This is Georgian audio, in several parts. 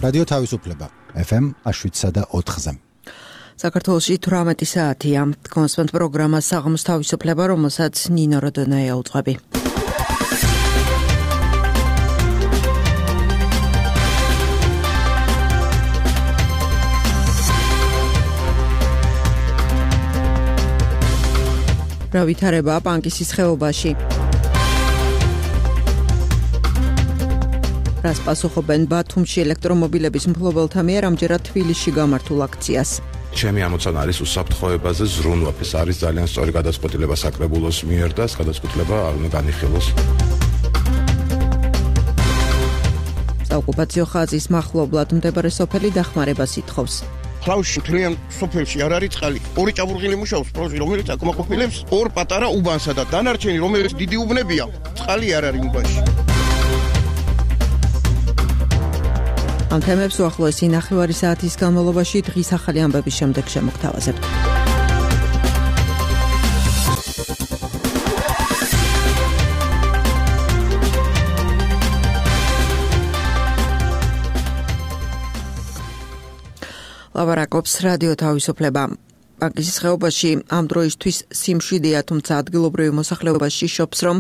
რადიო თავისუფლება FM 7.4-ზე. საქართველოში 18 საათია. კონსპენთ პროგრამა საღამოს თავისუფლება, რომელსაც ნინო როდონაია უძღვები. რა ვითარება პანკისის ხეობაში? რას პასუხობენ ბათუმში ელექტრომობილების მფლობელთა მიერ ამჯერად თბილისში გამართულ აქციას? ჩემი ამოცანა არის უსაფრთხოებაზე ზრუნვა. ეს არის ძალიან სწორი გადაწყვეტილება საკრებულოს მიერ და ეს გადაწყვეტილება არ უნდა განიხილოს. საოკუპაციო ხაზის მახლობლად მდებარე სოფელი დახმარებას ითხოვს. ხლავში თლიან სოფელში არ არის წყალი. ორი ჭაბურღილი მუშაობს პროჟი, რომელიც აკმაყოფილებს ორ პატარა უბანსა და დანარჩენი, რომელიც დიდი უბნებია, წყალი არ არის უბანში. ამ თემებს უახლოესი ნახევარი საათის განმავლობაში დღის ახალი ამბების შემდეგ შემოგთავაზებთ. ლაბარაკობს რადიო თავისუფლება. პანკისის ხეობაში ამ დროისთვის სიმშვიდეა, თუმცა ადგილობრივი მოსახლეობაში შობს, რომ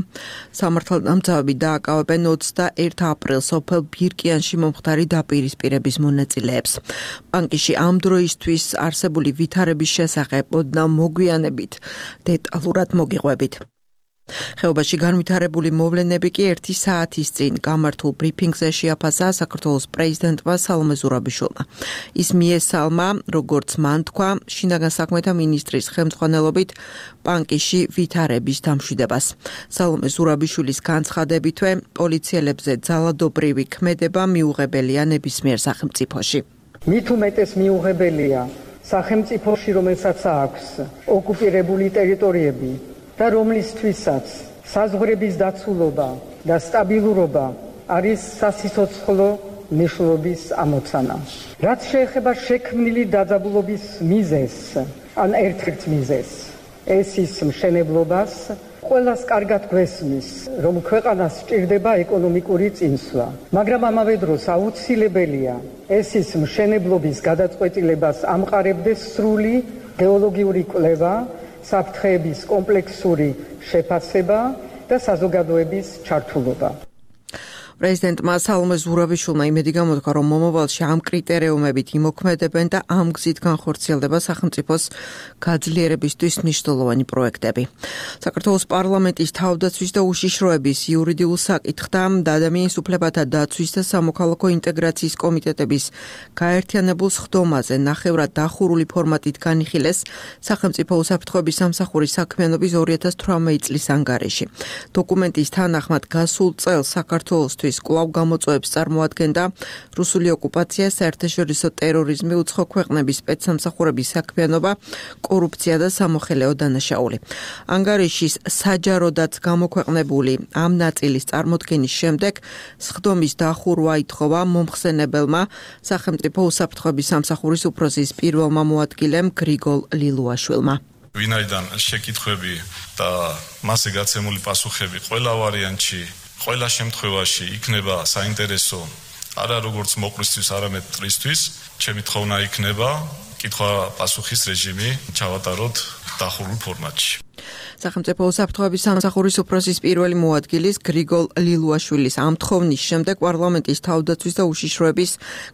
სამართალდამცავები დააკავებენ 21 აპრილს სოფელ ბირკიანში მომხდარი დაპირისპირების მონაწილეებს. პანკისში ამ დროისთვის არსებული ვითარების შესახებ ოდნავ მოგვიანებით დეტალურად მოგიყვებით. ხეობაში განვითარებული მოვლენები კი 1 საათის წინ გამართულ ბრიფინგზე შეაფასა საქართველოს პრეზიდენტმა სალომე ზურაბიშვილმა. ის მიესალმა, როგორც მან თქვა, შინაგან საქმეთა მინისტრის ხელმძღვანელობით პანკისში ვითარების დამშვიდებას. სალომე ზურაბიშვილის განცხადებითვე, პოლიციელებზე ძალადობრივი ქმედება მიუღებელია ნებისმიერ სახელმწიფოში. მით უმეტეს მიუღებელია სახელმწიფოში, რომელსაც აქვს ოკუპირებული ტერიტორიები და რომლისთვისაც საზღვრების დაცულობა და სტაბილურობა არის სასიცოცხლო მნიშვნელობის ამოცანა. რაც შეეხება შექმნილი დაძაბულობის მიზეზს, ან ერთ-ერთ მიზეზს, ეს ის მშენებლობას, ყველას კარგად გვესმის, რომ ქვეყანას სჭირდება ეკონომიკური წინსვლა, მაგრამ ამავე დროს აუცილებელია ეს ის მშენებლობის გადაწყვეტილებას ამყარებდეს სრული გეოლოგიური კვლევა, საფრთხეების კომპლექსური შეფასება და საზოგადოების ჩართულობა. პრეზიდენტმა სალომე ზურაბიშვილმა იმედი გამოთქვა, რომ მომავალში ამ კრიტერიუმებით იმოქმედებენ და ამ გზით განხორციელდება სახელმწიფოს გაძლიერებისთვის მნიშვნელოვანი პროექტები. საქართველოს პარლამენტის თავდაცვის და უშიშროების იურიდიულ საკითხთა და ადამიანის უფლებათა დაცვის და სამოქალაქო ინტეგრაციის კომიტეტების გაერთიანებულ სხდომაზე ნახევრად დახურული ფორმატით განიხილეს სახელმწიფო უსაფრთხოების სამსახურის საქმიანობის 2018 წლის ანგარიში. დოკუმენტის თანახმად გასულ წელს საქართველოსთვის კვლავ გამოწვევებს წარმოადგენდა რუსული ოკუპაცია, საერთაშორისო ტერორიზმი, უცხო ქვეყნების სპეცსამსახურების საქმიანობა, კორუფცია და სამოხელეო დანაშაული. ანგარიშის საჯაროდაც გამოქვეყნებული ამ ნაწილის წარმოდგენის შემდეგ სხდომის დახურვა ითხოვა მომხსენებელმა სახელმწიფო უსაფრთხოების სამსახურის უფროსის პირველმა მოადგილემ გრიგოლ ლილუაშვილმა. ვინაიდან შეკითხვები და მასზე გაცემული პასუხები ყველა ვარიანტში, ყველა შემთხვევაში იქნება საინტერესო არა როგორც მოყვრისთვის, არამედ მტრისთვის, ჩემი თხოვნა იქნება კითხვა-პასუხის რეჟიმი ჩავატაროთ დახურულ ფორმატში. სახელმწიფო უსაფრთხოების სამსახურის უფროსის პირველი მოადგილის გრიგოლ ლილუაშვილის ამ თხოვნის შემდეგ პარლამენტის თავდაცვის და უშიშროების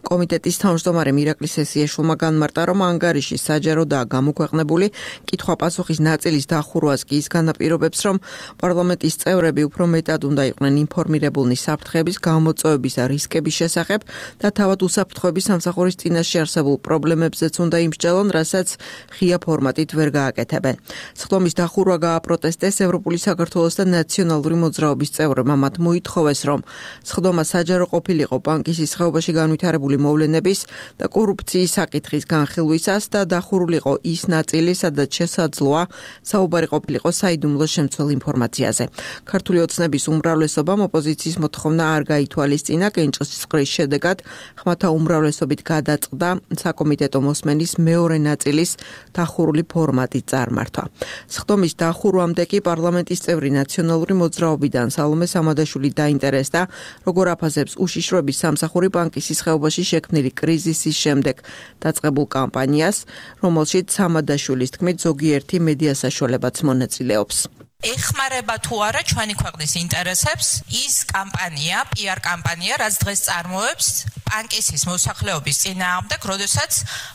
კომიტეტის თავმჯდომარე ირაკლი სესიაშვილმა განმარტა, რომ ანგარიში საჯაროდაა გამოქვეყნებული, კითხვა-პასუხის ნაწილის დახურვას კი ის განაპირობებს, რომ პარლამენტის წევრები უფრო მეტად უნდა იყვნენ ინფორმირებულნი საფრთხეების, გამოწვევების და რისკების შესახებ და თავად უსაფრთხოების სამსახურის წინაშე არსებულ პრობლემებზეც უნდა იმსჯელონ, რასაც ღია ფორმატით ვერ გააკეთებენ. სხდომის დახურვა გააპროტესტეს ევროპული საქართველოს და ნაციონალური მოძრაობის წევრებმა. მათ მოითხოვეს, რომ სხდომა საჯარო ყოფილიყო პანკისის ხეობაში განვითარებული მოვლენების და კორუფციის საკითხის განხილვისას და დახურულიყო ის ნაწილი, სადაც შესაძლოა საუბარი ყოფილიყო საიდუმლო შემცველ ინფორმაციაზე. ქართული ოცნების უმრავლესობამ ოპოზიციის მოთხოვნა არ გაითვალისწინა, კენჭისყრის შედეგად ხმათა უმრავლესობით გადაწყდა საკომიტეტო მოსმენის მეორე ნაწილის დახურული ფორმატის წარმართვა. სხდომის თითქმის დახურვამდე კი პარლამენტის წევრი ნაციონალური მოძრაობიდან სალომე სამადაშვილი დაინტერესდა, როგორ აფასებს უშიშროების სამსახური ბანკისის ხეობაში შექმნილი კრიზისის შემდეგ დაწყებულ კამპანიას, რომელშიც სამადაშვილის თქმით ზოგიერთი მედია საშუალებაც მონაწილეობს. ეხმარება თუ არა ჩვენი ქვეყნის ინტერესებს ის კამპანია, PR კამპანია, რაც დღეს წარმოებს ბანკისის მოსახლეობის წინააღმდეგ, როდესაც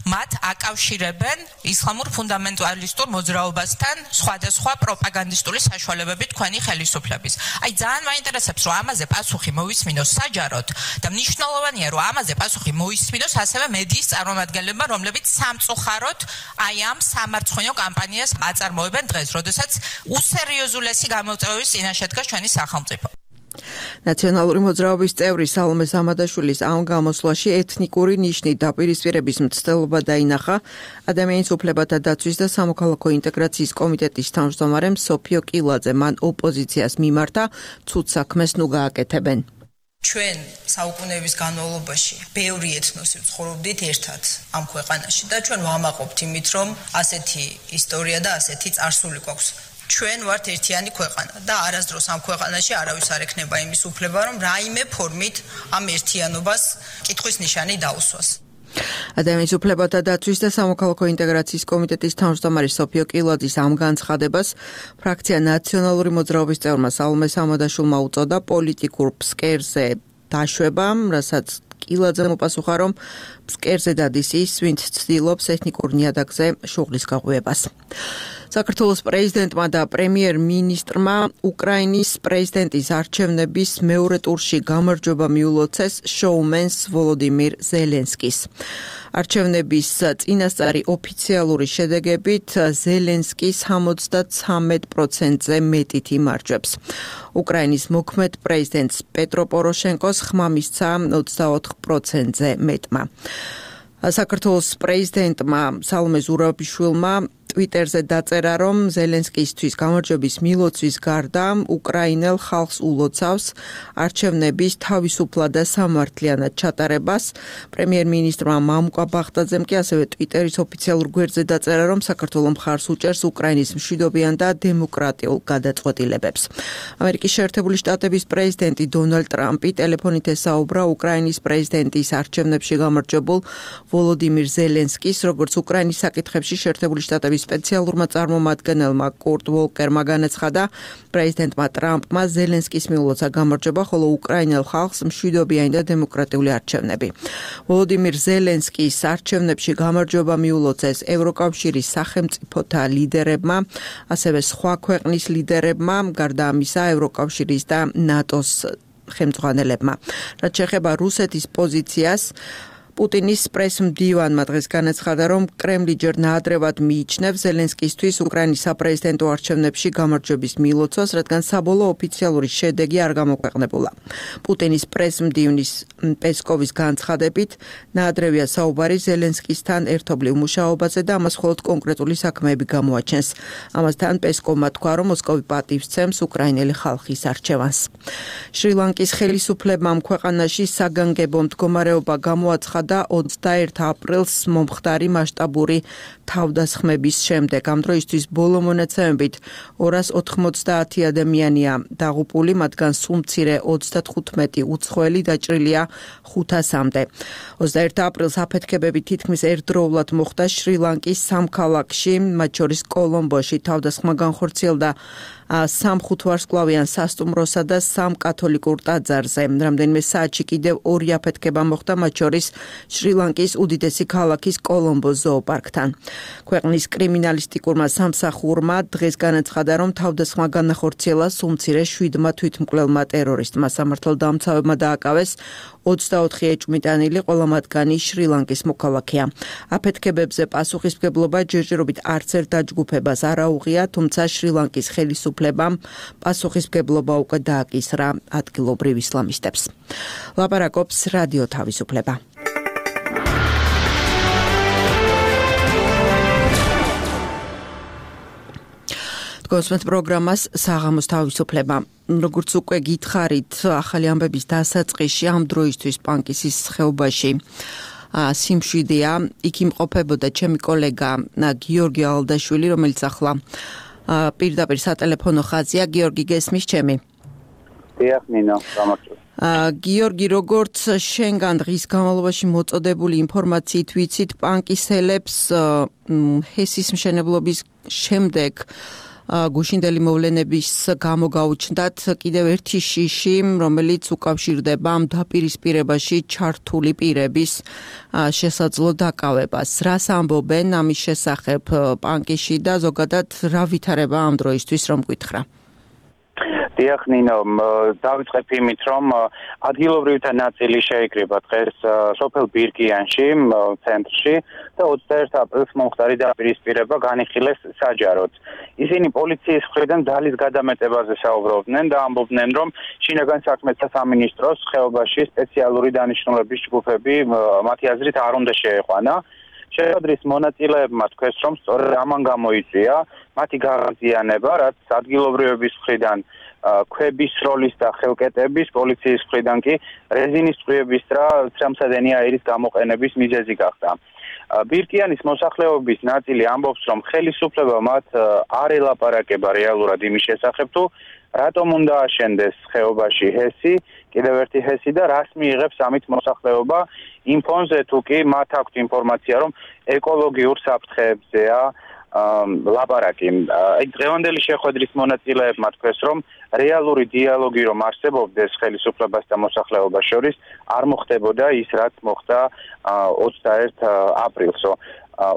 მათ აკავშირებენ ისლამურ ფუნდამენტალისტურ მოძრაობასთან სხვადასხვა პროპაგანდისტული საშუალებებით თქვენი ხელისუფლების. აი ძალიან მაინტერესებს, რომ ამაზე პასუხი მოვისმინოს საჯაროდ და მნიშვნელოვანია, რომ ამაზე პასუხი მოისმინოს ასევე მედიის წარმომადგენლებმა, რომლებიც სამწუხაროდ აი ამ სამარცხვინო კამპანიას აწარმოებენ დღეს, როდესაც უსერიოზულესი გამოწვევის წინაშე დგას ჩვენი სახელმწიფო. ნაციონალური მოძრაობის წევრი სალომე სამადაშვილის ამ გამოსვლაში ეთნიკური ნიშნით დაპირისპირების მცდელობა დაინახა ადამიანის უფლებათა დაცვის და სამოქალაქო ინტეგრაციის კომიტეტის თავმჯდომარემ სოფიო კილაძე. მან ოპოზიციას მიმართა ცუდ საქმეს ნუ გააკეთებენ. ჩვენ საუკუნეების განმავლობაში ბევრი ეთნოსი ვცხოვრობდით ერთად ამ ქვეყანაში და ჩვენ ვამაყობთ იმით, რომ ასეთი ისტორია და ასეთი წარსული გვაქვს. ჩვენ ვართ ერთიანი ქვეყანა და არასდროს ამ ქვეყანაში არავის არ ექნება იმის უფლება, რომ რაიმე ფორმით ამ ერთიანობას კითხვის ნიშანი დაუსვას. ადამიანის უფლებათა დაცვის და სამოქალაქო ინტეგრაციის კომიტეტის თავმჯდომარე სოფიო კილაძის ამ განცხადებას ფრაქცია ნაციონალური მოძრაობის წევრმა სალომე სამადაშვილმა უწოდა პოლიტიკურ ფსკერზე დაშვება, რასაც კილაძემ უპასუხა, რომ ფსკერზე დადის ის, ვინც ცდილობს ეთნიკურ ნიადაგზე შუღლის გაღვივებას. საქართველოს პრეზიდენტმა და პრემიერ-მინისტრმა უკრაინის პრეზიდენტის არჩევნების მეორე ტურში გამარჯვება მიულოცეს შოუმენს ვოლოდიმირ ზელენსკის. არჩევნების წინასწარი ოფიციალური შედეგებით ზელენსკი 73%-ზე მეტით იმარჯვებს. უკრაინის მოქმედ პრეზიდენტს პეტრო პოროშენკოს ხმა მისცა 24%-ზე მეტმა. საქართველოს პრეზიდენტმა სალომე ზურაბიშვილმა ტვიტერზე დაწერა, რომ ზელენსკისთვის გამარჯვების მილოცვის გარდა უკრაინელ ხალხს ულოცავს არჩევნების თავისუფლად და სამართლიანად ჩატარებას. პრემიერ-მინისტრმა მამუკა ბახტაძემ კი ასევე ტვიტერის ოფიციალურ გვერდზე დაწერა, რომ საქართველო მხარს უჭერს უკრაინის მშვიდობიან და დემოკრატიულ გადაწყვეტილებებს. ამერიკის შეერთებული შტატების პრეზიდენტი დონალდ ტრამპი ტელეფონით ესაუბრა უკრაინის პრეზიდენტის არჩევნებში გამარჯვებულ ვოლოდიმირ ზელენსკის, როგორც უკრაინის საკითხებში შეერთებული შტატების სპეციალურმა წარმომადგენელმა კურტ ვოლკერმა განაცხადა, პრეზიდენტმა ტრამპმა ზელენსკის მიულოცა გამარჯვება, ხოლო უკრაინელ ხალხს მშვიდობიანი და დემოკრატიული არჩევნები. ვოლოდიმირ ზელენსკის არჩევნებში გამარჯვება მიულოცეს ევროკავშირის სახელმწიფოთა ლიდერებმა, ასევე სხვა ქვეყნის ლიდერებმა, გარდა ამისა ევროკავშირის და ნატოს ხელმძღვანელებმა. რაც შეეხება რუსეთის პოზიციას, პუტინის პრესმდივანმა დღეს განაცხადა, რომ კრემლი ჯერ ნაადრევად მიიჩნევს ზელენსკისთვის უკრაინის საპრეზიდენტო არჩევნებში გამარჯვების მილოცვას, რადგან საბოლოო ოფიციალური შედეგი არ გამოქვეყნებულა. პუტინის პრესმდივნის პესკოვის განცხადებით, ნაადრევია საუბარი ზელენსკისთან ერთობლივ მუშაობაზე და ამას მხოლოდ კონკრეტული საქმეები გამოაჩენს. ამასთან პესკოვმა თქვა, რომ მოსკოვი პატივს სცემს უკრაინელი ხალხის არჩევანს. შრი-ლანკის ხელისუფლებამ ქვეყანაში საგანგებო მდგომარეობა გამოაცხადა და 21 აპრილს მომხდარი მასშტაბური თავდასხმების შემდეგ. ამ დროისთვის ბოლო მონაცემებით 290 ადამიანია დაღუპული, მათგან სულ მცირე 35 უცხოელი დაჭრილია 500-მდე. 21 აპრილს აფეთქებები თითქმის ერთდროულად მოხდა შრი-ლანკის სამ ქალაქში, მათ შორის კოლომბოში. თავდასხმა განხორციელდა 3 ხუთვარსკვლავიან სასტუმროსა და 3 კათოლიკურ ტაძარზე. რამდენიმე საათში კიდევ 2 აფეთქება მოხდა, მათ შორის შრი-ლანკის უდიდესი ქალაქის კოლომბოს ზოოპარკთან. ქვეყნის კრიმინალისტიკურმა სამსახურმა დღეს განაცხადა, რომ თავდასხმა განახორციელა სულ მცირე 7 თვითმკვლელმა ტერორისტმა. სამართალდამცავებმა დააკავეს 24 ეჭვმიტანილი, ყველა მათგანი შრი-ლანკის მოქალაქეა. აფეთქებებზე პასუხისმგებლობა ჯერჯერობით არც ერთ დაჯგუფებას არ აუღია, თუმცა შრი-ლანკის ხელისუფლებამ პასუხისმგებლობა უკვე დააკისრა ადგილობრივ ისლამისტებს. ლაპარაკობს რადიო თავისუფლება. გოსმეთ პროგრამას საღამოს თავისუფლება. როგორც უკვე გითხარით, ახალი ამბების დასაწყისში ამ დროისთვის პანკისის ხეობაში სიმშვიდეა. იქ იმყოფებოდა ჩემი კოლეგა გიორგი ალდაშვილი, რომელიც ახლა პირდაპირ სატელეფონო ხაზია გიორგი გესმის ჩემი. დიახ ნინო, გამარჯობა. გიორგი, როგორც შენგან დღის განმავლობაში მოწოდებული ინფორმაციით ვიცით, პანკისელებს ჰესის მშენებლობის შემდეგ გუშინდელი მოვლენების გამო გაუჩნდათ კიდევ ერთი შიში, რომელიც უკავშირდება ამ დაპირისპირებაში ჩართული პირების შესაძლო დაკავებას. რას ამბობენ ამის შესახებ პანკიში და ზოგადად რა ვითარება ამ დროისთვის რომ გითხრა? დიახ ნინო, დავიწყებ იმით, რომ ადგილობრივთა ნაწილი შეიკრიბა დღეს სოფელ ბირკიანში, ცენტრში და 21 აპრილს მომხდარი დაპირისპირება განიხილეს საჯაროდ. ისინი პოლიციის მხრიდან ძალის გადამეტებაზე საუბრობდნენ და ამბობდნენ, რომ შინაგან საქმეთა სამინისტროს ხეობაში სპეციალური დანიშნულების ჯგუფები მათი აზრით არ უნდა შეეყვანა. შეხვედრის მონაწილეებმა თქვეს, რომ სწორედ ამან გამოიწვია მათი გაღაზიანება, რაც ადგილობრივების მხრიდან ქვების როლის და ხელკეტების, პოლიციის მხრიდან კი რეზინის წყვილების და ცრემლსადენი აირის გამოყენების მიზეზი გახდა. ბირკიანის მოსახლეობის ნაწილი ამბობს, რომ ხელისუფლება მათ არ ელაპარაკება რეალურად იმის შესახებ, თუ რატომ უნდა აშენდეს ხეობაში ჰესი, კიდევ ერთი ჰესი და რას მიიღებს ამით მოსახლეობა იმ ფონზე, თუ კი მათ აქვთ ინფორმაცია, რომ ეკოლოგიურ საფრთხეებზეა ლაპარაკი. დღევანდელი შეხვედრის მონაწილეებმა თქვეს, რომ რეალური დიალოგი რომ არსებობდეს ხელისუფლებას და მოსახლეობას შორის, არ მოხდებოდა ის, რაც მოხდა 21 აპრილს.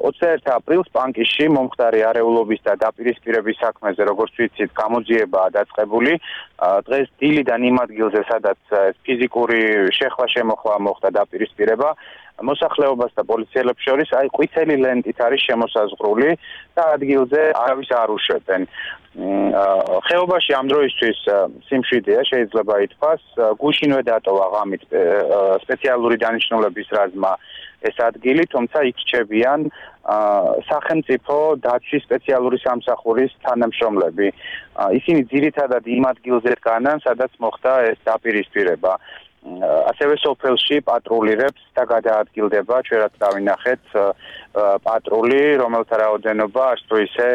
21 აპრილს პანკისში მომხდარი არეულობის და დაპირისპირების საქმეზე, როგორც ვიცით, გამოძიებაა დაწყებული. დღეს დილიდან იმ ადგილზე, სადაც ფიზიკური შეხვა-შემოხვა მოხდა დაპირისპირება, მოსახლეობას და პოლიციელებს შორის ყვითელი ლენტით არის შემოსაზღვრული და ადგილზე არავის არ უშვებენ. ხეობაში ამ დროისთვის სიმშვიდეა, შეიძლება ითქვას, გუშინვე დატოვა ღამით სპეციალური დანიშნულების რაზმმა ეს ადგილი, თუმცა იქ რჩებიან სახელმწიფო დაცვის სპეციალური სამსახურის თანამშრომლები. ისინი ძირითადად იმ ადგილზე დგანან, სადაც მოხდა ეს დაპირისპირება. ასევე სოფელში პატრულირებს და გადაადგილდება, ჩვენაც დავინახეთ პატრული, რომელთა რაოდენობა არც თუ ისე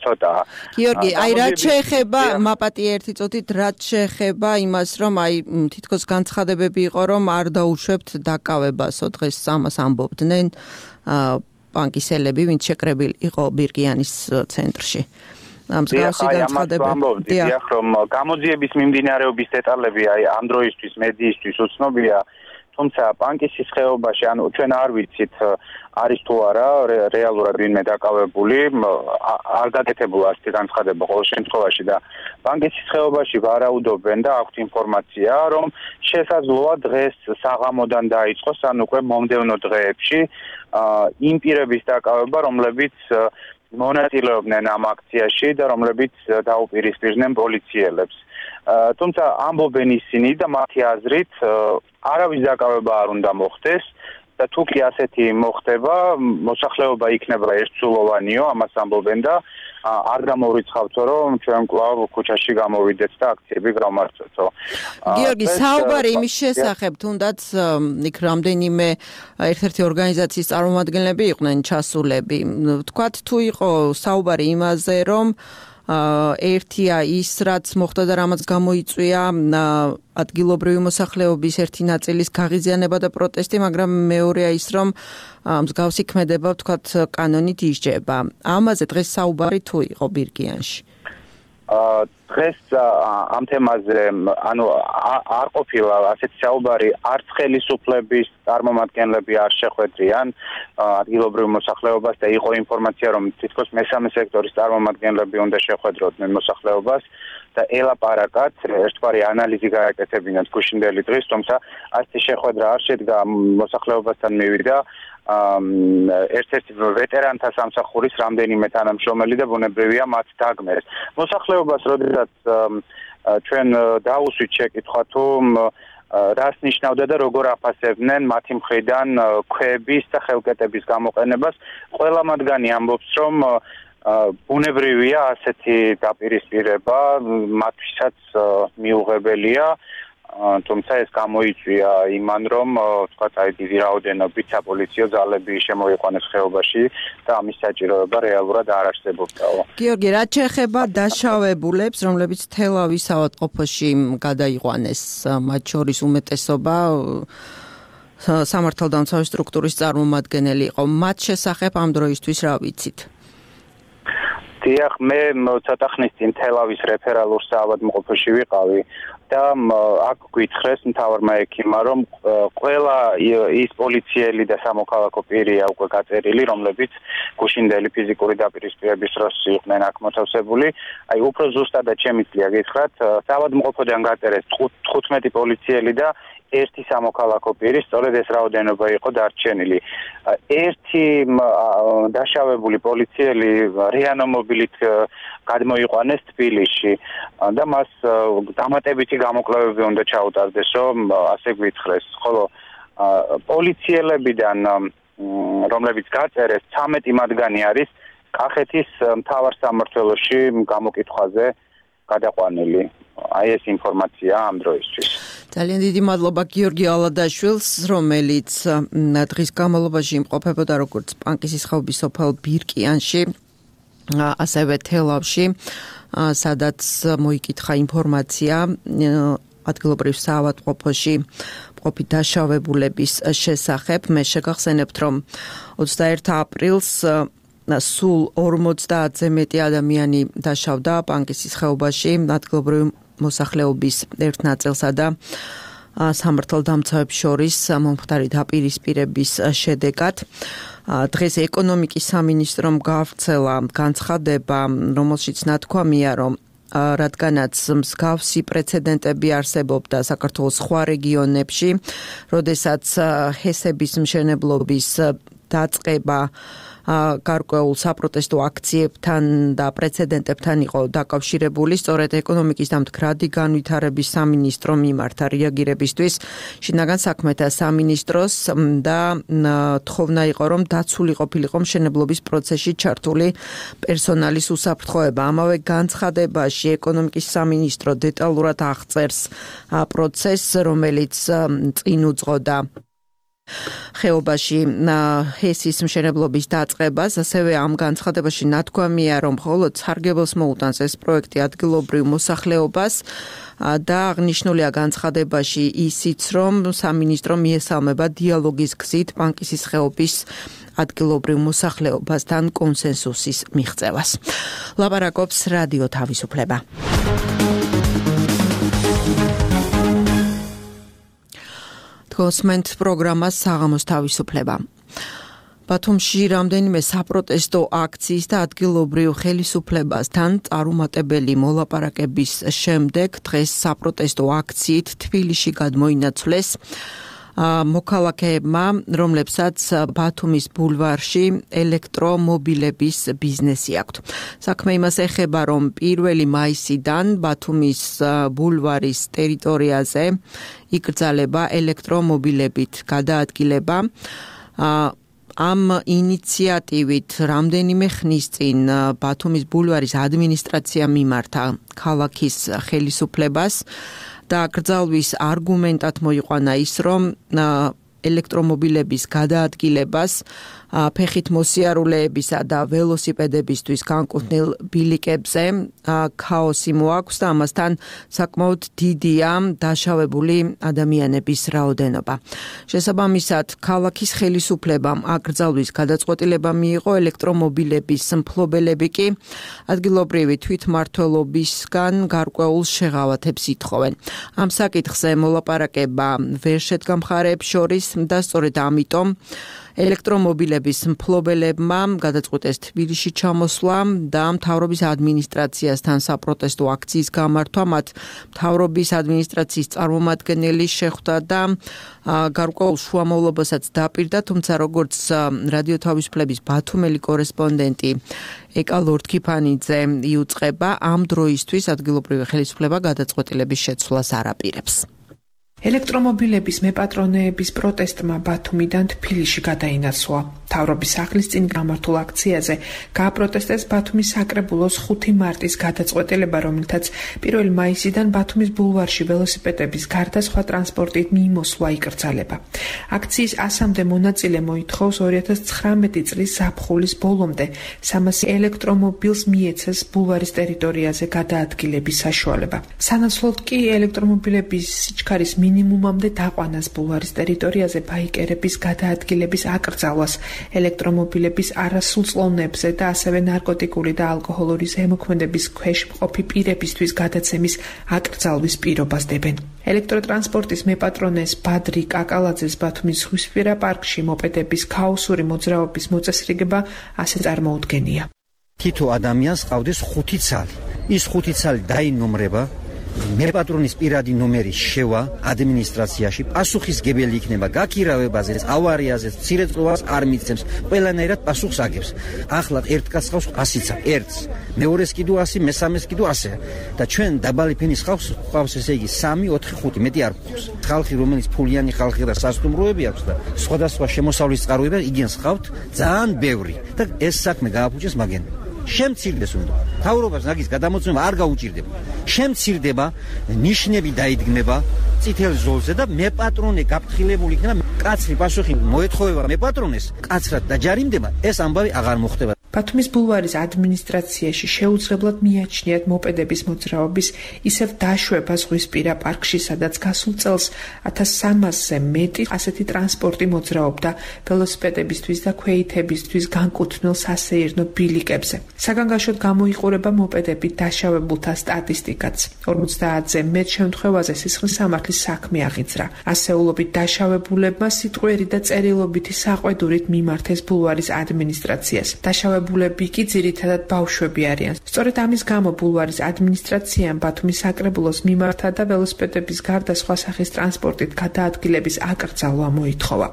ცოტაა. გიორგი, რაც შეეხება მაპატი ერთი წუთით, რაც შეეხება იმას, რომ თითქოს განცხადებები იყო, რომ არ დაუშვებთ დაკავებასო, დღეს ამას ამბობდნენ პანკისელები, ვინც შეკრებილი იყო ბირკიანის ცენტრში. მსგავსი განცხადებები. დიახ, რომ გამოძიების მიმდინარეობის დეტალები ამ დროისთვის მედიისთვის უცნობია, თუმცა პანკისის ხეობაში, ანუ ჩვენ არ ვიცით არის თუ არა რეალურად ვინმე დაკავებული, არ გაკეთებულა ასეთი განცხადება ყოველ შემთხვევაში და პანკისის ხეობაში ვარაუდობენ და აქვთ ინფორმაცია, რომ შესაძლოა დღეს საღამოდან დაიწყოს, ან უკვე მომდევნო დღეებში იმ პირების დაკავება, რომლებიც მონაწილეობდნენ ამ აქციაში და რომლებიც დაუპირისპირდნენ პოლიციელებს. თუმცა ამბობენ ისინი და მათი აზრით არავის დაკავება არ უნდა მოხდეს და თუ კი ასეთი მოხდება, მოსახლეობა იქნება ერთსულოვანიო, ამას ამბობენ და არ გამოვრიცხავთო, რომ ჩვენ კვლავ ქუჩაში გამოვიდეთ და აქციები გავმარცხებთო. გიორგი, საუბარი იმის შესახებ, თუნდაც იქ რამდენიმე ერთ-ერთი ორგანიზაციის წარმომადგენლები იყვნენ ჩასულები. თქვათ თუ იყო საუბარი იმაზე, რომ ერთია ის, რაც მოხდა და რამაც გამოიწვია ადგილობრივი მოსახლეობის ერთი ნაწილის გაღიზიანება და პროტესტი, მაგრამ მეორეა ის, რომ მსგავსი ქმედება, ვთქვათ, კანონით ისჯება. ამაზე დღეს საუბარი თუ იყო ბირკიანში? დღეს ამ თემაზე, ანუ არ ყოფილა ასეთი საუბარი, არც ხელისუფლების წარმომადგენლები არ შეხვედრიან ადგილობრივ მოსახლეობას და იყო ინფორმაცია, რომ თითქოს მესამე სექტორის წარმომადგენლები უნდა შეხვედროდნენ მოსახლეობას და ელაპარაკათ, ერთგვარი ანალიზი გააკეთებინათ გუშინდელი დღის, თუმცა ასეთი შეხვედრა არ შედგა მოსახლეობასთან მივიდა ერთ-ერთი ვეტერანთა სამსახურის რამდენიმე თანამშრომელი და ბუნებრივია მათ დაგმერეს. მოსახლეობას როდესაც ჩვენ დაუსვით შეკითხვა თუ რას ნიშნავდა და როგორ აფასებდნენ მათი მხრიდან ქვების და ხელკეტების გამოყენებას, ყველა მათგანი ამბობს, რომ ბუნებრივია ასეთი დაპირისპირება მათთვისაც მიუღებელია. თუმცა ეს გამოიწვია იმან, რომ თქვათ აი დიდი რაოდენობით საპოლიციო ძალები შემოიყვანეს ხეობაში და ამის საჭიროება რეალურად არ არსებობდაო. გიორგი, რაც შეეხება დაშავებულებს, რომლებიც თელავის ავადმყოფოში გადაიყვანეს, მათ შორის უმეტესობა სამართალდამცავი სტრუქტურის წარმომადგენელი იყო. მათ შესახებ ამ დროისთვის რა ვიცით? დიახ, მე ცოტა ხნის წინ თელავის რეფერალურ საავადმყოფოში ვიყავი და აქ გითხრეს მთავარმა ექიმმა, რომ ყველა ის პოლიციელი და სამოქალაქო პირია უკვე გაწერილი, რომლებიც გუშინდელი ფიზიკური დაპირისპირების დროს იყვნენ აქ მოთავსებული. აი უფრო ზუსტადად შემიძლია გითხრათ, საავადმყოფოდან გაწერეს 15 პოლიციელი და ერთი სამოქალაქო პირი, სწორედ ეს რაოდენობა იყო დარჩენილი. ერთი დაშავებული პოლიციელი რეანიმობილით გადმოიყვანეს თბილისში და მას დამატებითი გამოკვლევები უნდა ჩაუტარდეს, რომ ასე გვითხრეს. ხოლო პოლიციელებიდან, რომლებიც გაწერეს, 13 მათგანი არის კახეთის მთავარ სამმართველოში გამოკითხვაზე გადაყვანილი. აი ეს ინფორმაცია ამ დროისთვის. ძალიან დიდი მადლობა გიორგი ალადაშვილს, რომელიც დღის განმავლობაში იმყოფებოდა როგორც პანკისის ხეობის სოფელ ბირკიანში, ასევე თელავში, სადაც მოიკითხა ინფორმაცია ადგილობრივ საავადმყოფოში მყოფი დაშავებულების შესახებ. მე შეგახსენებთ, რომ 21 აპრილს სულ 50-ზე მეტი ადამიანი დაშავდა პანკისის ხეობაში ადგილობრივი მოსახლეობის ერთ ნაწილსა და სამართალდამცავებს შორის მომხდარი დაპირისპირების შედეგად. დღეს ეკონომიკის სამინისტრომ გაავრცელა განცხადება, რომელშიც ნათქვამია, რომ რადგანაც მსგავსი პრეცედენტები არსებობდა საქართველოს სხვა რეგიონებში, როდესაც ჰესების მშენებლობის დაწყება გარკვეულ საპროტესტო აქციებთან და პრეცედენტებთან იყო დაკავშირებული, სწორედ ეკონომიკის და მდგრადი განვითარების სამინისტრომ მიმართა რეაგირებისთვის შინაგან საქმეთა სამინისტროს და თხოვნა იყო, რომ დაცული ყოფილიყო მშენებლობის პროცესში ჩართული პერსონალის უსაფრთხოება. ამავე განცხადებაში ეკონომიკის სამინისტრო დეტალურად აღწერს პროცესს, რომელიც წინ უძღოდა ხეობაში ჰესის მშენებლობის დაწყებას. ასევე ამ განცხადებაში ნათქვამია, რომ მხოლოდ სარგებელს მოუტანს ეს პროექტი ადგილობრივ მოსახლეობას და აღნიშნულია განცხადებაში ისიც, რომ სამინისტრო მიესალმება დიალოგის გზით პანკისის ხეობის ადგილობრივ მოსახლეობასთან კონსენსუსის მიღწევას. ლაპარაკობს რადიო თავისუფლება. გოსმენთ პროგრამას საღამოს თავისუფლება. ბათუმში რამდენიმე საპროტესტო აქციის და ადგილობრივ ხელისუფლებასთან წარუმატებელი მოლაპარაკების შემდეგ დღეს საპროტესტო აქციით თბილისში გადმოინაცვლეს მოქალაქეებმა, რომლებსაც ბათუმის ბულვარში ელექტრომობილების ბიზნესი აქვთ. საქმე იმას ეხება, რომ 1 მაისიდან ბათუმის ბულვარის ტერიტორიაზე იკრძალება ელექტრომობილებით გადაადგილება. ამ ინიციატივით რამდენიმე ხნის წინ ბათუმის ბულვარის ადმინისტრაცია მიმართა ქალაქის ხელისუფლებას და გრძალვის არგუმენტად მოიყვანა ის, რომ ელექტრომობილების გადაადგილებას ფეხით მოსიარულეებისა და ველოსიპედებისთვის განკუთვნილ ბილიკებზე ქაოსი მოაქვს და ამასთან საკმაოდ დიდია დაშავებული ადამიანების რაოდენობა. შესაბამისად, ქალაქის ხელისუფლებამ აკრძალვის გადაწყვეტილება მიიღო, ელექტრომობილების მფლობელები კი ადგილობრივი თვითმმართველობისგან გარკვეულ შეღავათებს ითხოვენ. ამ საკითხზე მოლაპარაკება ვერ შედგა მხარეებს შორის და სწორედ ამიტომ ელექტრომობილების მფლობელებმა გადაწყვიტეს თბილისში ჩამოსვლა და მთავრობის ადმინისტრაციასთან საპროტესტო აქციის გამართვა. მათ მთავრობის ადმინისტრაციის წარმომადგენელი შეხვდა და გარკვეულ შუამავლობასაც დაპირდა, თუმცა როგორც რადიო თავისუფლების ბათუმელი კორესპონდენტი ეკა ლორდქიფანიძე იუწყება, ამ დროისთვის ადგილობრივი ხელისუფლება გადაწყვეტილების შეცვლას არ აპირებს. ელექტრომობილების მეპატრონეების პროტესტმა ბათუმიდან თბილისში გადაინაცვლა. მთავრობის სახლის წინ გამართულ აქციაზე გააპროტესტეს ბათუმის საკრებულოს 5 მარტის გადაწყვეტილება, რომელთაც 1 მაისიდან ბათუმის ბულვარში ველოსიპედების გარდა სხვა ტრანსპორტით მიმოსვლა იკრძალება. აქციის 100-მდე მონაწილე მოითხოვს 2019 წლის ზაფხულის ბოლომდე 300 ელექტრომობილს მიეცეს ბულვარის ტერიტორიაზე გადაადგილების საშუალება. სანაცვლოდ კი ელექტრომობილების სიჩქარის მინიმუმამდე დაყვანას ბულვარის ტერიტორიაზე ბაიკერების გადაადგილების აკრძალვას, ელექტრომობილების არასრულწლოვნებზე და ასევე ნარკოტიკული და ალკოჰოლური ზემოქმედების ქვეშ მყოფი პირებისთვის გადაცემის აკრძალვის პირობას დებენ. ელექტროტრანსპორტის მეპატრონეს ბადრი კაკალაძეს ბათუმის ზღვისპირა პარკში მოპედების ქაოსური მოძრაობის მოწესრიგება ასე წარმოუდგენია. თითო ადამიანს ყავდეს 5 ცალი. ის 5 ცალი დაინომრება, მეპატრონის პირადი ნომერი შევა ადმინისტრაციაში, პასუხისგებელი იქნება გაქირავებაზე, ავარიაზე, მცირეწყობას არ მიცემს, ყველანაირად პასუხს აგებს. ახლა ერთ კაცს ყავს 100 ცა, ერთს, მეორეს კიდო 100, მესამეს კიდო 100 და ჩვენ დაბალი ფენის ყავს ესე იგი 3, 4, 5, მეტი არ ყავს. ხალხი რომელიც ფულიანი ხალხი და სასტუმროები აქვს და სხვადასხვა შემოსავლის წყაროები იგენს ყავთ ძალიან ბევრი და ეს საქმე გააფუჭეს მაგენ. შემცირდეს უნდა. თავრობას ნაგის გადამოწმება არ გაუჭირდება. შემცირდება, ნიშნები დაიდგმება წითელ ზოლზე და მეპატრონე გაფრთხილებული იქნება. კაცრი პასუხი მოეთხოვება მეპატრონეს, კაცრად დაჯარიმდება, ეს ამბავი აღარ მოხდება. ბათუმის ბულვარის ადმინისტრაციაში შეუძლებლად მიაჩნიათ მოპედების მოძრაობის ისევ დაშვება ზღვისპირა პარკში, სადაც გასულ წელს 1300-ზე მეტი ასეთი ტრანსპორტი მოძრაობდა ველოსიპედებისთვის და ქვეითებისთვის განკუთვნილ სასეირნო ბილიკებზე. საგანგაშოდ გამოიყურება მოპედებით დაშავებულთა სტატისტიკაც. 50-ზე მეტ შემთხვევაზე სისხლის სამართლის საქმე აღიძრა. ასეულობით დაშავებულებმა სიტყვიერი და წერილობითი საყვედურით მიმართეს ბულვარის ადმინისტრაციას. ბულები კი ძირითადად ბავშვები არიან. სწორედ ამის გამო ბულვარის ადმინისტრაციამ ბათუმის საკრებულოს მიმართა და ველოსიპედების გარდა სხვა სახის ტრანსპორტით გადაადგილების აკრძალვა მოითხოვა.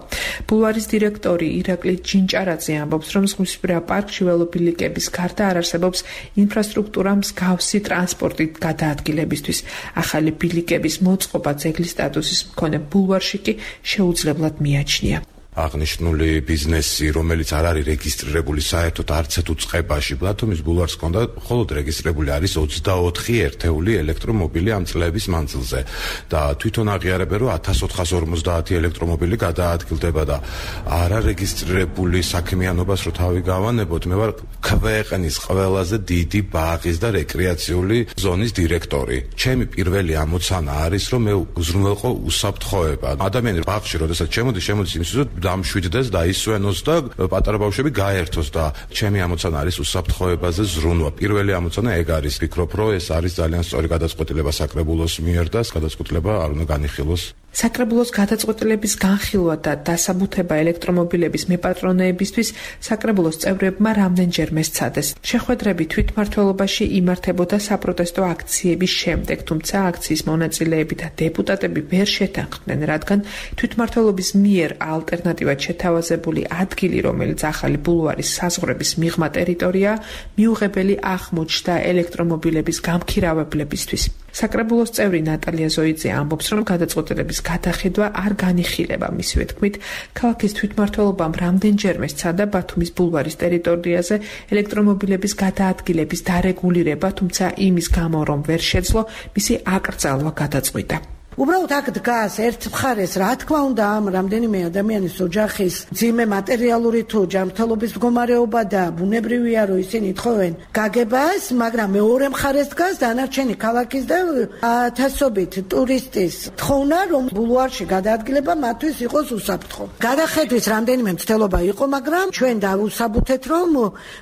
ბულვარის დირექტორი ირაკლი ჯინჭარაძე ამბობს, რომ ზღვისპირა პარკში ველობილიკების გარდა არ არსებობს ინფრასტრუქტურა მსგავსი ტრანსპორტით გადაადგილებისთვის. ახალი ბილიკების მოწყობა ძეგლის სტატუსის მქონე ბულვარში კი შეუძლებლად მიაჩნია. აღნიშნული ბიზნესი, რომელიც არ არის რეგისტრირებული საერთოდ არც თუ წყებაში, ბათუმის ბულვარს ჰქონდა, მხოლოდ რეგისტრირებული არის 24 ერთეული ელექტრომობილი ამ წლების მანძილზე და თვითონ აღიარებენ, რომ 1450 ელექტრომობილი გადაადგილდება და არარეგისტრირებული საქმიანობას რო თავი გავანებოთ, მე ვარ ქვეყნის ყველაზე დიდი ბაღის და რეკრეაციული ზონის დირექტორი. ჩემი პირველი ამოცანა არის, რომ მე უზრუნველყო უსაფრთხოება. ადამიანები ბაღში როდესაც შემოდის იმის დამშვიდდეს და ისვენოს და პატარა ბავშვები გაერთოს და ჩემი ამოცანა არის უსაფრთხოებაზე ზრუნვა. პირველი ამოცანა ეგ არის. ვფიქრობ, რომ ეს არის ძალიან სწორი გადაწყვეტილება საკრებულოს მიერ და ეს გადაწყვეტილება არ უნდა განიხილოს. საკრებულოს გადაწყვეტილების განხილვა და დასაბუთება ელექტრომობილების მეპატრონეებისთვის საკრებულოს წევრებმა რამდენჯერმე სცადეს. შეხვედრები თვითმმართველობაში იმართებოდა საპროტესტო აქციების შემდეგ, თუმცა აქციის მონაწილეები და დეპუტატები ვერ შეთანხმდნენ, რადგან თვითმმართველობის მიერ ალტერნატივად შეთავაზებული ადგილი, რომელიც ახალი ბულვარის საზღვრების მიღმა ტერიტორია, მიუღებელი აღმოჩნდა ელექტრომობილების გამქირავებლებისთვის. საკრებულოს წევრი ნატალია ზოიძე ამბობს, რომ გადაწყვეტილების გადახედვა არ განიხილება. მისივე თქმით, ქალაქის თვითმმართველობამ რამდენჯერმე სცადა ბათუმის ბულვარის ტერიტორიაზე ელექტრომობილების გადაადგილების დარეგულირება, თუმცა იმის გამო, რომ ვერ შეძლო, მისი აკრძალვა გადაწყვიტა. უბრალოდ აქ დგას ერთ მხარეს, რა თქმა უნდა, ამ რამდენიმე ადამიანის ოჯახის ძიმე მატერიალური თუ ჯანმრთელობის მდგომარეობა და ბუნებრივია, რომ ისინი ეთხოვენ გაგებას, მაგრამ მეორე მხარეს დგას დანარჩენი ქალაქის და ათასობით ტურისტის თხოვნა, რომ ბულვარში გადაადგილება მათთვის იყოს უსაფრთხო. გადახედვის რამდენიმე მცდელობა იყო, მაგრამ ჩვენ დავუსაბუთეთ, რომ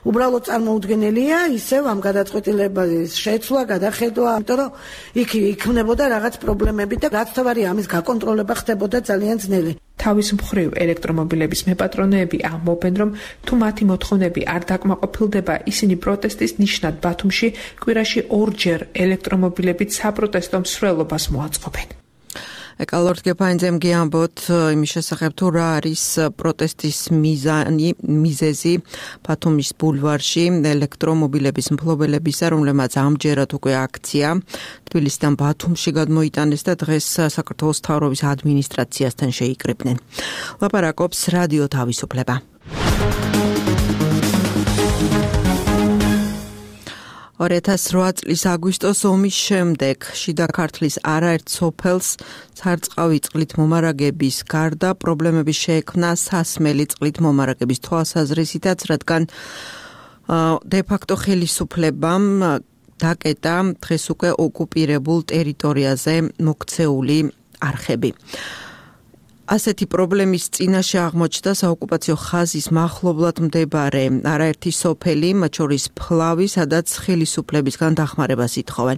უბრალოდ წარმოუდგენელია ისევ ამ გადაწყვეტილების შეცვლა, გადახედვა, იმიტომ რომ იქ იქმნებოდა რაღაც პრობლემები და რაც თავარი ამის გაკონტროლება ხდებოდა ძალიან ძნელი. თავის მხრივ ელექტრომობილების მეპატრონეები ამბობენ, რომ თუ მათი მოთხოვნები არ დაკმაყოფილდება, ისინი პროტესტის ნიშნად ბათუმში კვირაში 2-ჯერ ელექტრომობილებით საპროტესტო მსვლელობას მოაწყობენ. ეკალორდ გეფაინძემ გიამბოთ იმის შესახებ, თუ რა არის პროტესტის მიზეზი ბათუმის ბულვარში ელექტრომობილების მფლობელებისა, რომლებმაც ამჯერად უკვე აქცია თბილისიდან ბათუმში გადმოიტანეს და დღეს საქართველოს მთავრობის ადმინისტრაციასთან შეიკრიბნენ. ლაპარაკობს რადიო თავისუფლება. 2008 წლის აგვისტოს ომის შემდეგ შიდა ქართლის არაერთ სოფელს სარწყავი წყლით მომარაგების გარდა პრობლემები შეექმნა სასმელი წყლით მომარაგების თვალსაზრისითაც, რადგან დე-ფაქტო ხელისუფლებამ დაკეტა დღეს უკვე ოკუპირებულ ტერიტორიაზე მოქცეული არხები. ასეთი პრობლემის წინაშე აღმოჩნდა საოკუპაციო ხაზის მახლობლად მდებარე არაერთი სოფელი, მათ შორის ფლავი, სადაც ხელისუფლებისგან დახმარებას ითხოვენ.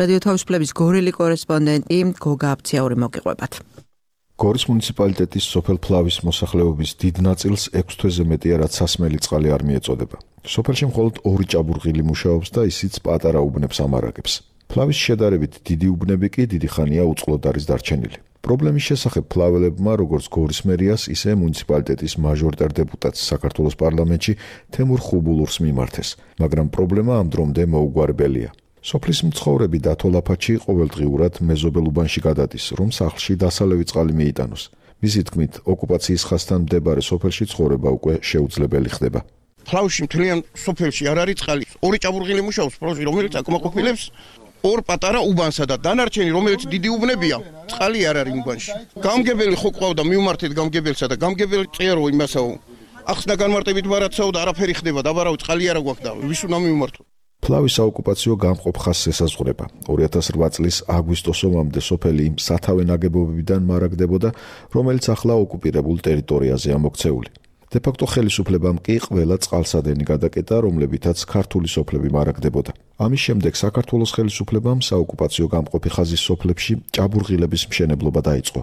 რადიო თავისუფლების გორელი კორესპონდენტი გოგა აფციაური მოგიყვებათ. გორის მუნიციპალიტეტის სოფელ ფლავის მოსახლეობის დიდ ნაწილს 6 თვეზე მეტია, რაც სასმელი წყალი არ მიეწოდება. სოფელში მხოლოდ 2 ჭაბურღილი მუშაობს და ისიც პატარა უბნებს ამარაგებს. ფლავის შედარებით დიდი უბნები კი დიდი ხანია უწყლოდ არის დარჩენილი. პრობლემის შესახებ ფლაველებმა, როგორც გორის მერიას, ისე მუნიციპალიტეტის მაჟორიტარ დეპუტატს საქართველოს პარლამენტში თემურ ხუბულურს მიმართეს, მაგრამ პრობლემა ამ დრომდე მოუგვარებელია. სოფლის მცხოვრები დათოლაფაჩი ყოველდღიურად მეზობელ უბანში გადადის, რომ სახლში დასალევი წყალი მიიტანოს. მისი თქმით, ოკუპაციის ხაზთან მდებარე სოფელში ცხოვრება უკვე შეუძლებელი ხდება. ფლავში მთლიან სოფელში არ არის წყალი. 2 ჭაბურღილი მუშაობს პროჟი, რომელიც აკმაყოფილებს 2 პატარა უბანსა და დანარჩენი, რომელიც დიდი უბნებია, წყალი არ არის უბანში. გამგებელი ხო ყავდა, მივმართეთ გამგებელსა და გამგებელი წერო იმასაო. ახსნა განმარტებით მარაცაო და არაფერი ხდება, დაბარავი წყალი არა გვაქვს და ვის უნდა მივმართო. ფლავის საოკუპაციო გამყოფ ხაზს ესაზღვრება. 2008 წლის აგვისტოს ომამდე სოფელი იმ სათავე ნაგებობებიდან მარაგდებოდა, რომელიც ახლა ოკუპირებულ ტერიტორიაზეა მოქცეული. დე-ფაქტო ხელისუფლებამ კი ყველა წყალსადენი გადაკეტა, რომლებითაც ქართული სოფლები მარაგდებოდა. ამის შემდეგ საქართველოს ხელისუფლებამ საოკუპაციო გამყოფი ხაზის სოფლებში ჭაბურღილების მშენებლობა დაიწყო.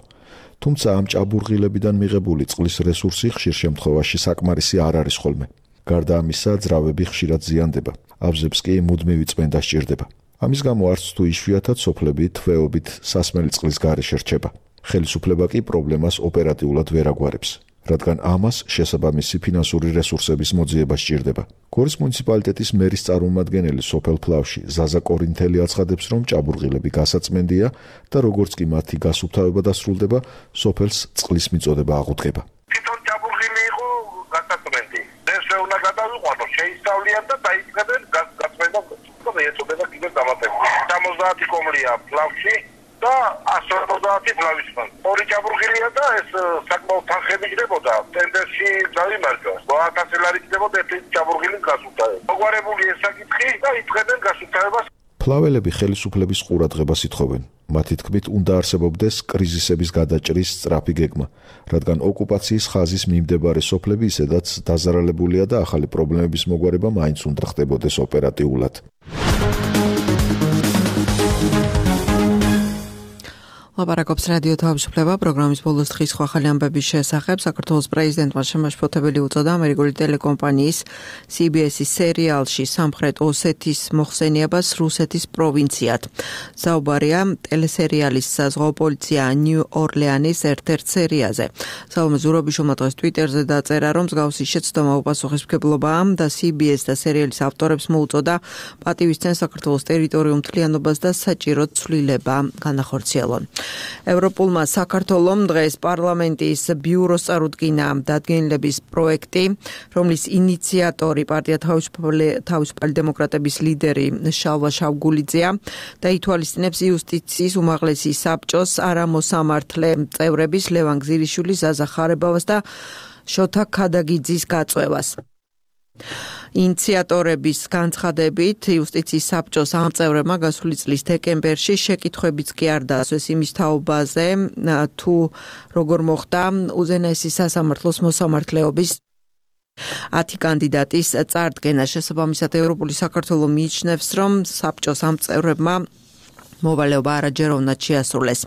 თუმცა ამ ჭაბურღილებიდან მიღებული წყლის რესურსი ხშირ შემთხვევაში საკმარისი არ არის ხოლმე. გარდა ამისა, ძრავები ხშირად ზიანდება. აბზებს კი მუდმივი წმენდა სჭირდება. ამის გამო არც თუ იშვიათად სოფლები თვეობით სასმელი წყლის გარეშე რჩება. ხელისუფლება კი პრობლემას ოპერატიულად ვერ აგვარებს, რადგან ამას შესაბამისი ფინანსური რესურსების მოძიება სჭირდება. გორის მუნიციპალიტეტის მერის წარმომადგენელი სოფელ ფლავში ზაზა კორინთელი აცხადებს, რომ ჭაბურღილები გასაწმენდია და როგორც კი მათი გასუფთავება დასრულდება, სოფელს წყლის მიწოდება აღუდგება. თვითონ ჭაბურღილი იყო გასაწმენდი. ეს უნდა გადავიყვანო, შეისწავლიან და დაიწყებენ გასაწმენდა და ეწოდება კიდევ დამატებული. 70 კომლია ფლავში და 150 ფლავისგან. 2 ჭაბურღილია და ეს საკმაოდ თანხები ჯდებოდა. ტენდერში დავიმარჯვა. 1000 ლარი ჯდებოდა ეს ჭაბურღილის გასუფთავება. მოგვარებული ეს საკითხი და იწყებენ გასუფთავებას. ფლაველები ხელისუფლების ყურადღებას ითხოვენ. მათი თქმით, უნდა არსებობდეს კრიზისების გადაჭრის სწრაფი გეგმა, რადგან ოკუპაციის ხაზის მიმდებარე სოფლები ისედაც დაზარალებულია და ახალი პრობლემების მოგვარება მაინც უნდა ხდებოდეს ოპერატიულად. ლაპარაკობს რადიო თავისუფლება პროგრამის ბოლოს დღის ახალი ამბების შესახებ. საქართველოს პრეზიდენტმა შემაშფოთებელი უწოდა ამერიკული ტელეკომპანიის CBS-ის სერიალში სამხრეთ ოსეთის მოხსენიებას რუსეთის პროვინციად. საუბარია ტელესერიალის საზღვაო პოლიცია ნიუ ორლეანის ერთ-ერთ სერიაზე. სალომე ზურაბიშვილმა დღეს ტვიტერზე დაწერა, რომ მსგავსი შეცდომა უპასუხისმგებლობაა და CBS და სერიალის ავტორებს მოუწოდა პატივისცემ საქართველოს ტერიტორიულ მთლიანობას და საჭირო ცვლილება განახორციელონ. ევროპულმა საქართველომ დღეს პარლამენტის ბიუროს წარუდგინა დადგენილების პროექტი, რომლის ინიციატორი პარტია თავისუფალი დემოკრატების ლიდერი შალვა შავგულიძეა და ითვალისწინებს იუსტიციის უმაღლესი საბჭოს არამოსამართლე წევრების ლევან გზირიშვილის, ზაზა ხარებავას და შოთა ქადაგიძის გაწვევას. ინიციატორების განცხადებით, იუსტიციის საბჭოს ამ წევრებმა გასული წლის დეკემბერში შეკითხვებიც კი არ დაასვეს იმის თაობაზე, თუ როგორ მოხდა უზენაესი სასამართლოს მოსამართლეობის 10 კანდიდატის წარდგენა. შესაბამისად, ევროპული საქართველო მიიჩნევს, რომ საბჭოს ამ წევრებმა მოვალეობა არაჯეროვნად შეასრულეს.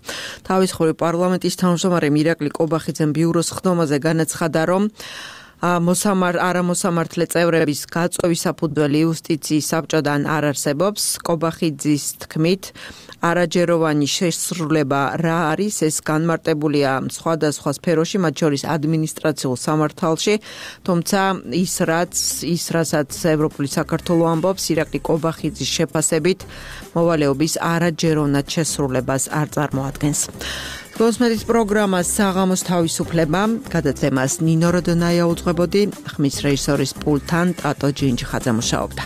თავისუფალი პარლამენტის თავმჯდომარე ირაკლი კობახიძემ ბიუროს ხდომაზე განაცხადა, რომ არამოსამართლე წევრების გაწვევის საფუძველი იუსტიციის საბჭოდან არ არსებობს. კობახიძის თქმით, არაჯეროვანი შესრულება რა არის, ეს განმარტებულია სხვადასხვა სფეროში, მათ შორის ადმინისტრაციულ სამართალში, თუმცა რასაც ევროპული საქართველო ამბობს, ირაკლი კობახიძის შეფასებით მოვალეობის არაჯეროვნად შესრულებას არ წარმოადგენს. გოსმეთის პროგრამას საღამოს თავისუფლება, გადაცემას ნინო როდონაია უძღვებოდი, ხმის რეჟისორის პულტთან ტატო ჯინჯიხაძე მუშაობდა.